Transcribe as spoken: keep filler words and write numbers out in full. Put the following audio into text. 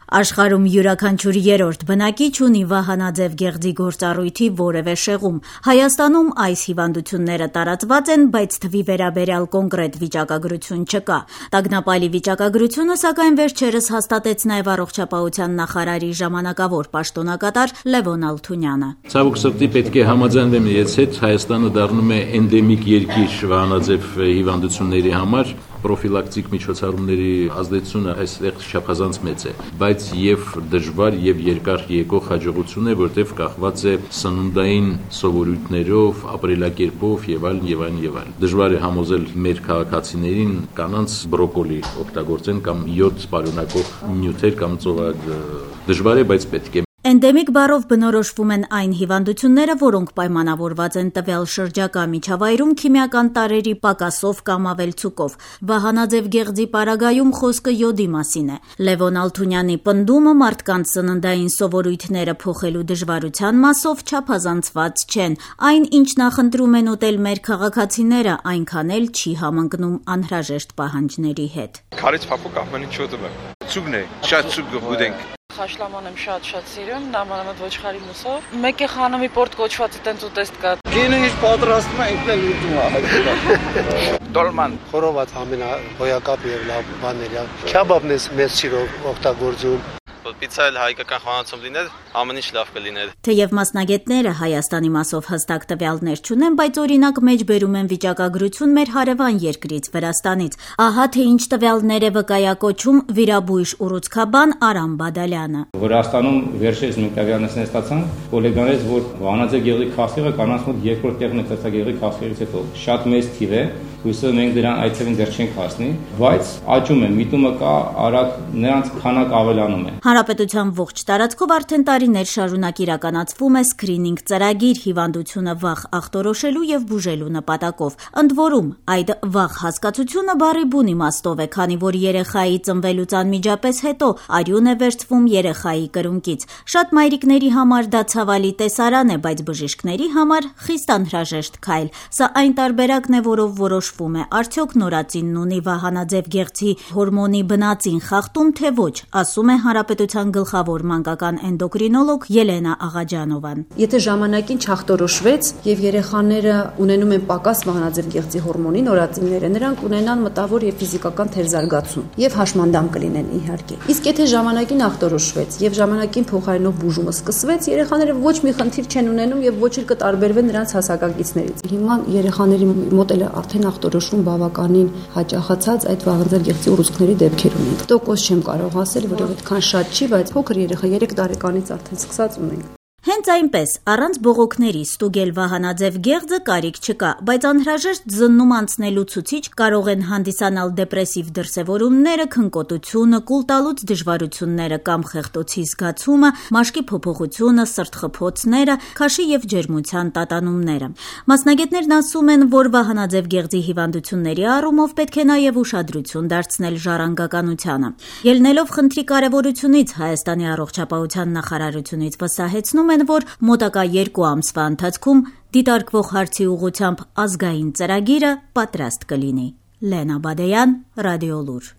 Աշխարհում յուրաքանչյուր երրորդ բնակիչ ունի վահանաձև գեղձի գործառույթի որևէ շեղում։ Հայաստանում այս հիվանդությունները տարածված են, բայց թվի վերաբերյալ կոնկրետ վիճակագրություն չկա։ Տագնապալի վիճակագրությունը, սակայն, վերջերս հաստատեց նաև առողջապահության նախարարի ժամանակավոր պաշտոնակատար Լևոն Ալթունյանը։ Ցավոք սրտի պետք է համաձայնվեմ իրենց հետ, Հայաստանը դառնում է էնդեմիկ երկիր վահանաձև հիվանդությունների համար։ Պրոֆիլակտիկ միջոցառումների ազդեցությունը այստեղ չափազանց մեծ է, բայց եւ դժվար եւ երկար եկող հաջողություն է, որտեղ կախված է սննդային սովորույթներով, ապրելակերպով եւ այլն եւ այլն եւ այլն։ Դժվար է համոզել մեր քաղաքացիներին կանանց բրոկոլի օգտագործեն կամ յոդ պարունակող նյութեր կամ ծովակ դժվար է, բայց պետք է։ Էնդեմիկ բառով բնորոշվում են այն հիվանդությունները, որոնք պայմանավորված են տվյալ շրջակա միջավայրում քիմիական տարրերի պակասով կամ ավելցուկով։ Վահանաձև գեղձի պարագայում խոսքը յոդի մասին է։ Լևոն Ալթունյանի պնդումը մարդկանց սննդային սովորույթները փոխելու դժվարության մասով չափազանցված չեն։ Այն, ինչ նախընտրում են ուտել մեր քաղաքացիները, այնքան էլ չի համընկնում անհրաժեշտ պահանջների հետ։ Քարից փափուկ ամեն ինչ ուտում եմ։ Ցուգն է, շատ ցուգ գուտենք։ Խաշլաման եմ շատ-շատ սիրում, նամանավանդ ոչխարի մուսով։ Մեկ է խանամի պորտ կոչվածը տենց ուտեստ կա։ Գինը ինչ պատրաստում է, ինքն էլ ուտում է։ Դոլման, խորոված ամենահոյակապ եւ լավ բաներ է։ Քյաբաբն է մեծ սիրով օգտագործում։ Պիցա էլ հայկական խոհանոցում լիներ, ամեն ինչ լավ կլիներ։ Թեև մասնագետները Հայաստանի մասով հստակ տվյալներ չունեն, բայց օրինակ մեջբերում են վիճակագրություն մեր հարևան երկրից Վրաստանից։ Ահա թե ինչ տվյալներ է վկայակոչում վիրաբույժ ուռուցքաբան Արամ Բադալյանը։ Վրաստանում վերջերս մենք տվյալներ ստացանք կոլեգաներից, որ վահանաձև գեղձի քասիղը կանանց մոտ երկրորդ տեղն է ծածկագեղձի քասիղից հետո։ Շատ մեծ թիվ է, հույսով մենք դրան այդ թվին դեռ չենք հասնի, բայց աճում է, միտումը կա, արագ նրանց քանակ ավելանում է։ Հանրապետության ողջ տարածքով արդեն տարիներ շարունակ իրականացվում է սկրինինգ ծրագիր հիվանդությունը վաղ ախտորոշելու եւ բուժելու նպատակով։ Ընդ որում, այդ վաղ հասկացությունը բառի բուն իմաստով է, քանի որ երեխայի ծնվելուց անմիջապես հետո արյուն է վերցվում երեխայի կրունկից։ Շատ մայրիկների համար դա ցավալի տեսարան է, բայց բժիշկների համար խիստ անհրաժեշտ քայլ։ Սա այն տարբերակն է, որով որոշվում է արդյոք նորածինն ունի վահանաձև գեղձի հորմոնի բնածին խախտում, թե ոչ, ասում է Հանրապետության գլխավոր մանկական էնդոկրինոլոգ Ելենա Աղաջանովան։ Եթե ժամանակին չախտորոշվեց եւ երեխաները ունենում են պակաս վահանաձև գեղձի հորմոնի նորածինները, նրանք ունենան մտավոր եւ ֆիզիկական թերզարգացում եւ հաշմանդամ կլինեն իհարկե։ Իսկ եթե ժամանակին ախտորոշվեց եւ ժամանակին փոխարինող բուժումը սկսվեց, երեխաները ոչ մի խնդիր չեն ունենում եւ ոչ էլ կտարբերվեն նրանց հասակակիցներից։ Հիմա երեխաների մոտ էլ արդեն ախտորոշվում բավականին հաճախացած այդ վահանաձև գեղձի ուռուցքների դեպքեր ունենք։ Տոկոս չեմ կարող ասել, որովհետեւ այդքան շատ չի, բայց փոքր երեխա երեք տարեկանից արդեն սկսած ունենք։ Հենց այնպես, առանց բողոքների ստուգել վահանաձև գեղձը կարիք չկա, բայց անհրաժեշտ զննում անցնելու ցուցիչ կարող են հանդիսանալ դեպրեսիվ դրսևորումները, քնկոտությունը, կուլտալուց դժվարությունները կամ խեղդոցի զգացումը, մաշկի փոփոխությունը, սրտխփոցները, քաշի եւ ջերմության տատանումները։ Մասնագետներն ասում են, որ վահանաձև գեղձի հիվանդությունների առումով պետք է նաեւ ուշադրություն դարձնել ժառանգականությանը։ Ելնելով խնդրի կարեւորությունից Հայաստանի առողջապահության նախարարությունից վստահեցնում են, որ մոտակա երկու ամսվա ընթացքում դիտարկվող հարցի ուղղությամբ ազգային ծրագիրը պատրաստ կլինի։ Լենա Բադեյան, Ռադիոլուր։